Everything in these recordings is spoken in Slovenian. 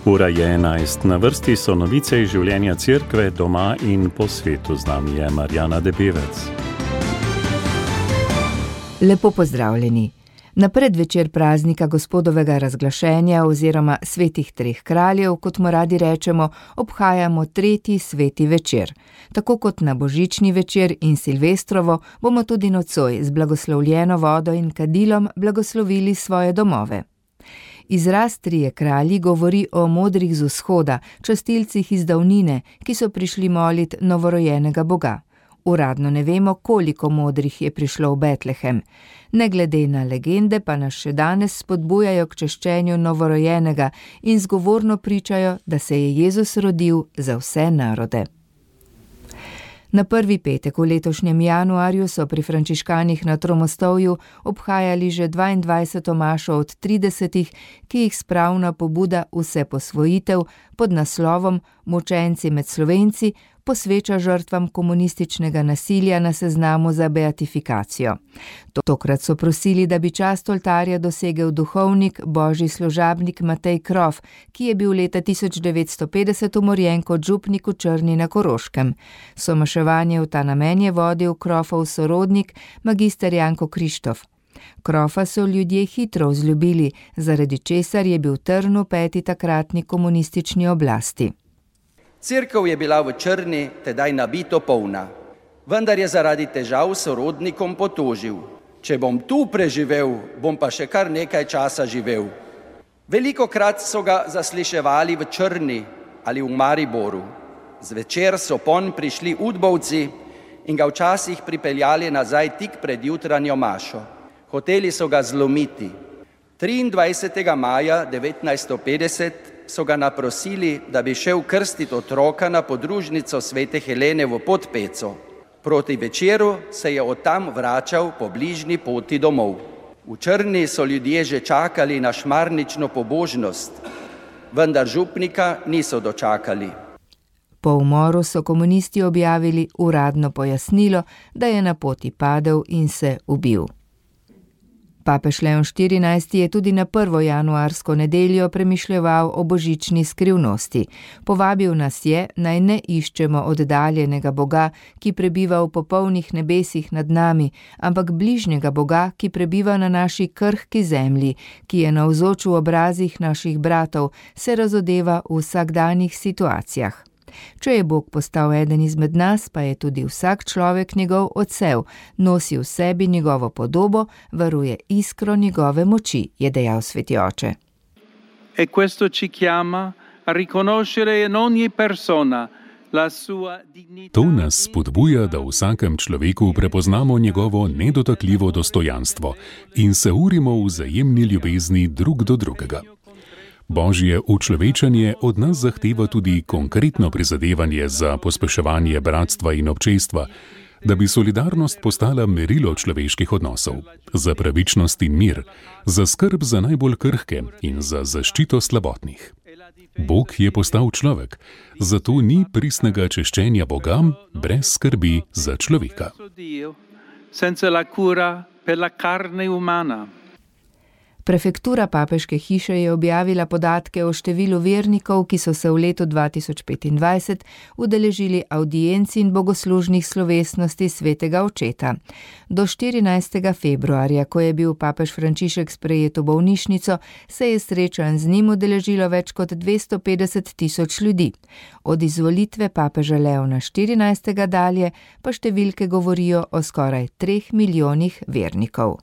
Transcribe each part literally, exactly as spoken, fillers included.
Ura je enajst, na vrsti so novice iz življenja cerkve doma in po svetu. Z nami je Marjana Debevec. Lepo pozdravljeni. Na predvečer praznika Gospodovega razglašenja oziroma svetih treh kraljev, kot mu radi rečemo, obhajamo tretji sveti večer. Tako kot na božični večer in silvestrovo bomo tudi nocoj z blagoslovljeno vodo in kadilom blagoslovili svoje domove. Izraz trije kralji govori o modrih z vzhoda, častilcih iz davnine, ki so prišli molit novorojenega Boga. Uradno ne vemo, koliko modrih je prišlo v Betlehem. Ne glede na legende pa nas še danes spodbujajo k češčenju novorojenega in zgovorno pričajo, da se je Jezus rodil za vse narode. Na prvi petek v letošnjem januarju so pri frančiškanih na Tromostovju obhajali že dvaindvajseto mašo od tridesetih, ki jih spravna pobuda Vse posvojitev pod naslovom Mučenci med Slovenci posveča žrtvam komunističnega nasilja na seznamu za beatifikacijo. Tokrat so prosili, da bi čast oltarja dosegel duhovnik, božji služabnik Matej Krof, ki je bil leta tisoč devetsto petdeset umorjen kot župnik v Črni na Koroškem. Somaševanje v ta namen je vodil Krofov sorodnik, magister Janko Krištof. Krofa so ljudje hitro vzljubili, zaradi česar je bil trn v peti takratni komunistični oblasti. Cerkev je bila v Črni tedaj nabito polna, vendar je zaradi težav sorodnikom potožil. Če bom tu preživel, bom pa še kar nekaj časa živel. Velikokrat so ga zasliševali v Črni ali v Mariboru. Zvečer so ponj prišli udbovci in ga včasih pripeljali nazaj tik pred jutranjo mašo. Hoteli so ga zlomiti. triindvajsetega maja devetnajststo petdeset so ga naprosili, da bi šel krstiti otroka na podružnico svete Helene v Podpeco. Proti večeru se je od tam vračal po bližnji poti domov. V Črni so ljudje že čakali na šmarnično pobožnost, vendar župnika niso dočakali. Po umoru so komunisti objavili uradno pojasnilo, da je na poti padel in se ubil. Papež Leon štirinajsti je tudi na prvo januarsko nedeljo premišljeval o božični skrivnosti. Povabil nas je, naj ne iščemo oddaljenega Boga, ki prebiva v popolnih nebesih nad nami, ampak bližnjega Boga, ki prebiva na naši krhki zemlji, ki je navzoč v obrazih naših bratov, se razodeva v vsakdanjih situacijah. Če je Bog postal eden izmed nas, pa je tudi vsak človek njegov odsev, nosi v sebi njegovo podobo, varuje iskro njegove moči, je dejal sveti oče. E questo ci chiama a riconoscere in ogni persona la sua dignità. To nas spodbuja, da v vsakem človeku prepoznamo njegovo nedotakljivo dostojanstvo in se urimo v vzajemni ljubezni drug do drugega. Božje učlovečanje od nas zahteva tudi konkretno prizadevanje za pospeševanje bratstva in občestva, da bi solidarnost postala merilo človeških odnosov, za pravičnost in mir, za skrb za najbolj krhke in za zaščito slabotnih. Bog je postal človek, zato ni pristnega češčenja Boga brez skrbi za človeka. Senza la cura per la carne umana. Prefektura papeške hiše je objavila podatke o številu vernikov, ki so se v letu dva tisoč petindvajset udeležili avdienc in bogoslužnih slovesnosti svetega očeta. Do štirinajstega februarja, ko je bil papež Frančišek sprejet v bolnišnico, se je srečanj z njim udeležilo več kot dvesto petdeset tisoč ljudi. Od izvolitve papeža Leona štirinajstega dalje pa številke govorijo o skoraj treh milijonih vernikov.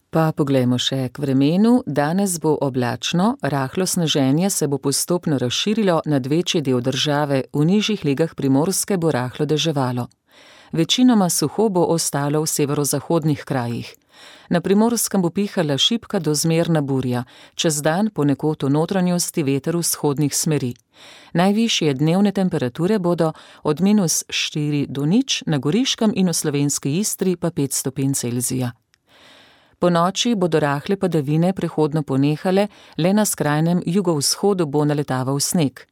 Pa poglejmo še k vremenu. Danes bo oblačno, rahlo sneženje se bo postopno razširilo nad večji del države, v nižjih legah Primorske bo rahlo deževalo. Večinoma suho bo ostalo v severozahodnih krajih. Na Primorskem bo pihala šibka do zmerna burja, čez dan ponekod v notranjosti veter vzhodnih smeri. Najvišje dnevne temperature bodo od minus štiri do nič, na Goriškem in v slovenski Istri pa pet stopinj Celzija. Po noči bodo rahle padavine prehodno ponehale, le na skrajnem jugovzhodu bo naletaval sneg.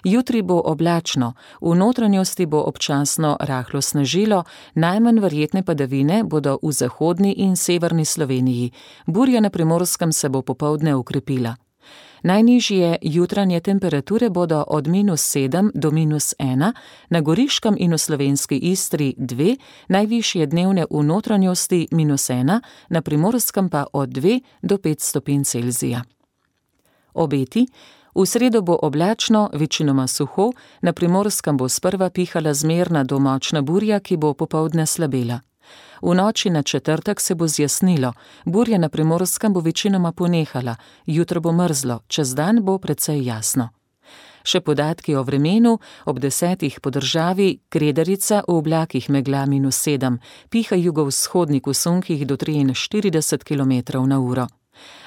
Jutri bo oblačno, v notranjosti bo občasno rahlo snežilo, najmanj verjetne padavine bodo v zahodni in severni Sloveniji. Burja na Primorskem se bo popoldne okrepila. Najnižje jutranje temperature bodo od minus sedem do minus ena, na Goriškem in v slovenski Istri dve, najvišje dnevne v notranjosti minus ena, na Primorskem pa od dve do pet stopinj Celzija. Obeti. V sredo bo oblačno, večinoma suho, na Primorskem bo sprva pihala zmerna do močna burja, ki bo popoldne slabela. V noči na četrtek se bo zjasnilo, burja na Primorskem bo večinoma ponehala, jutro bo mrzlo, čez dan bo precej jasno. Še podatki o vremenu, ob desetih po državi, Kredarica v oblakih megla minus sedem, piha jugovzhodnik v sunkih do triinštirideset kilometrov na uro.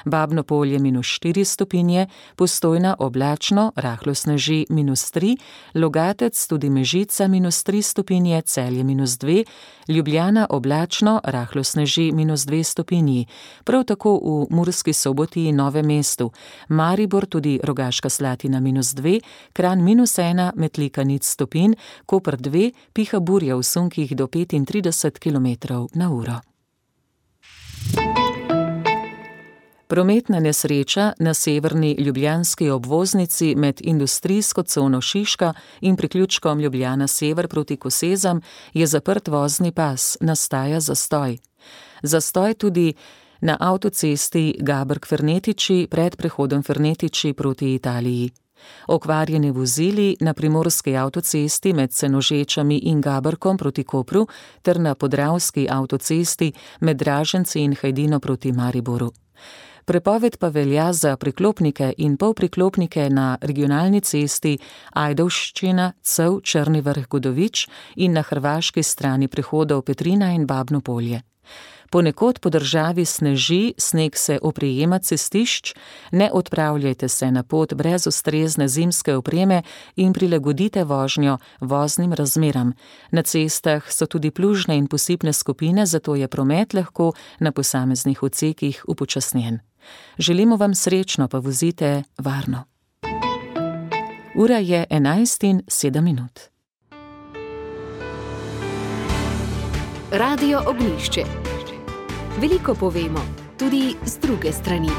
Babno Polje minus štiri stopinje, Postojna oblačno, rahlo sneži minus tri, Logatec tudi Mežica minus tri stopinje, Celje minus dve, Ljubljana oblačno, rahlo sneži minus dve stopinji, prav tako v Murski Soboti in Novem mestu, Maribor tudi Rogaška Slatina minus dve, Kranj minus ena, Metlika nič stopinj, Koper dve, piha burja v sunkih do petintrideset kilometrov na uro. Prometna nesreča na severni ljubljanski obvoznici med industrijsko cono Šiška in priključkom Ljubljana sever proti Kosezam je zaprt vozni pas, nastaja zastoj. Zastoj tudi na avtocesti Gabrk-Fernetiči pred prehodom Fernetiči proti Italiji. Okvarjeni vozili na primorski avtocesti med Senožečami in Gabrkom proti Kopru ter na podravski avtocesti med Draženci in Hajdino proti Mariboru. Prepoved pa velja za priklopnike in polpriklopnike na regionalni cesti Ajdovščina, Cev, Črni Vrh, Godovič in na hrvaški strani prehodov Petrina in Babno Polje. Ponekod po državi sneži, sneg se oprijema cestišč, ne odpravljajte se na pot brez ustrezne zimske opreme in prilagodite vožnjo voznim razmeram. Na cestah so tudi plužne in posipne skupine, zato je promet lahko na posameznih odsekih upočasnjen. Želimo vam srečno, pa vozite varno. Ura je enajst in sedem minut. Radio Ognjišče. Veliko povemo, tudi z druge strani.